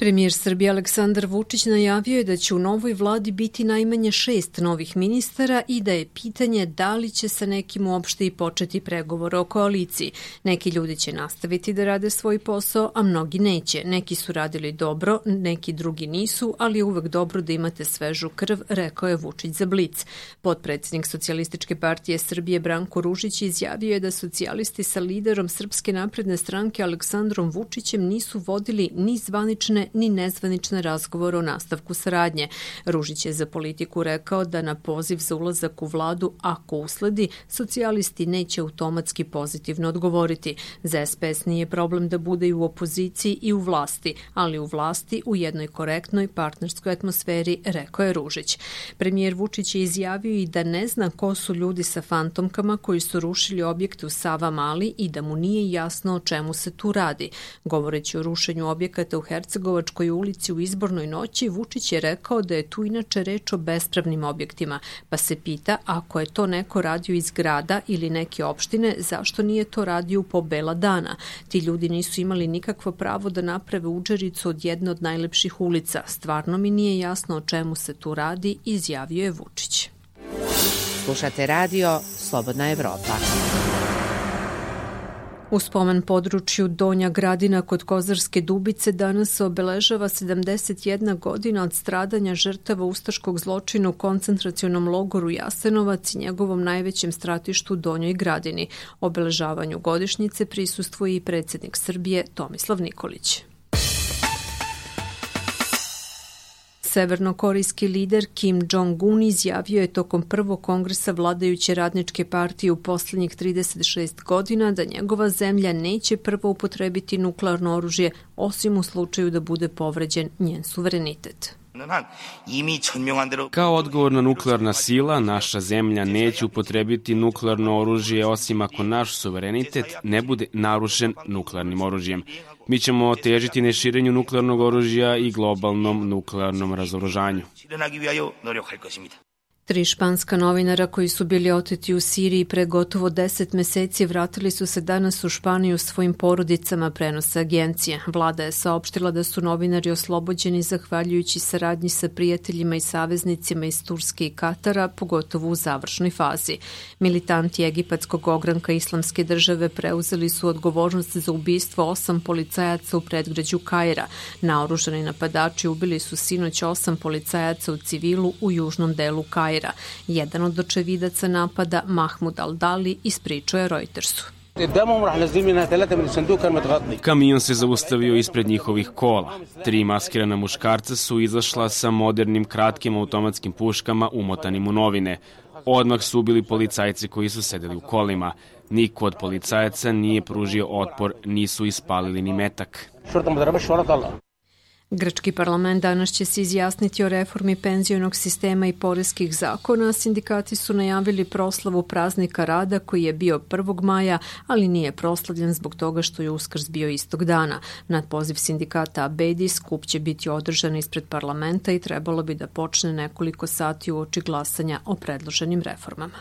Premijer Srbije Aleksandar Vučić najavio je da će u novoj vladi biti najmanje 6 novih ministara i da je pitanje da li će sa nekim uopšte i početi pregovore o koaliciji. Neki ljudi će nastaviti da rade svoj posao, a mnogi neće. Neki su radili dobro, neki drugi nisu, ali je uvek dobro da imate svežu krv, rekao je Vučić za Blic. Potpredsednik Socijalističke partije Srbije Branko Ružić izjavio je da socijalisti sa liderom Srpske napredne stranke Aleksandrom Vučićem nisu vodili ni zvanične ni nezvanične razgovore o nastavku saradnje. Ružić je za Politiku rekao da na poziv za ulazak u vladu, ako usledi, socijalisti neće automatski pozitivno odgovoriti. Za SPS nije problem da bude i u opoziciji i u vlasti, ali u vlasti u jednoj korektnoj partnerskoj atmosferi, rekao je Ružić. Premijer Vučić je izjavio i da ne zna ko su ljudi sa fantomkama koji su rušili objekte u Savamali i da mu nije jasno o čemu se tu radi. Govoreći o rušenju objekata u Hercegovačkoj ulici u izbornoj noći, Vučić je rekao da je tu inače reč o bespravnim objektima, pa se pita ako je to neko radio iz grada ili neke opštine, zašto nije to radio po bela dana? Ti ljudi nisu imali nikakvo pravo da naprave udžericu od jedne od najlepših ulica. Stvarno mi nije jasno o čemu se tu radi, izjavio je Vučić. Slušate radio Slobodna Evropa. U spomen području Donja Gradina kod Kozarske Dubice danas se obeležava 71 godina od stradanja žrtava ustaškog zločina u koncentracionom logoru Jasenovac i njegovom najvećem stratištu Donjoj Gradini. Obeležavanju godišnjice prisustvuje i predsjednik Srbije Tomislav Nikolić. Severnokorejski lider Kim Jong-un izjavio je tokom prvog kongresa vladajuće radničke partije u poslednjih 36 godina da njegova zemlja neće prvo upotrebiti nuklearno oružje osim u slučaju da bude povređen njen suverenitet. Kao odgovorna nuklearna sila, naša zemlja neće upotrebiti nuklearno oružje osim ako naš suverenitet ne bude narušen nuklearnim oružjem. Mi ćemo težiti neširenju nuklearnog oružja i globalnom nuklearnom razoružanju. 3 španska novinara koji su bili oteti u Siriji pre gotovo 10 meseci vratili su se danas u Španiju svojim porodicama, prenose agencije. Vlada je saopštila da su novinari oslobođeni zahvaljujući saradnji sa prijateljima i saveznicima iz Turske i Katara, pogotovo u završnoj fazi. Militanti egipatskog ogranka Islamske države preuzeli su odgovornost za ubistvo 8 policajaca u predgrađu Kaira. Naoružani napadači ubili su sinoć 8 policajaca u civilu u južnom delu Kaira. Jedan od očevidaca napada, Mahmud Al-Dali, ispričao je Reutersu. Kamion se zaustavio ispred njihovih kola. 3 maskirana muškarca su izašla sa modernim kratkim automatskim puškama umotanim u novine. Odmah su ubili policajci koji su sedeli u kolima. Niko od policajaca nije pružio otpor, nisu ispalili ni metak. Grčki parlament danas će se izjasniti o reformi penzionog sistema i poreskih zakona. Sindikati su najavili proslavu praznika rada koji je bio 1. maja, ali nije proslavljen zbog toga što je Uskrs bio istog dana. Na poziv sindikata Abedi skup će biti održan ispred parlamenta i trebalo bi da počne nekoliko sati uoči glasanja o predloženim reformama.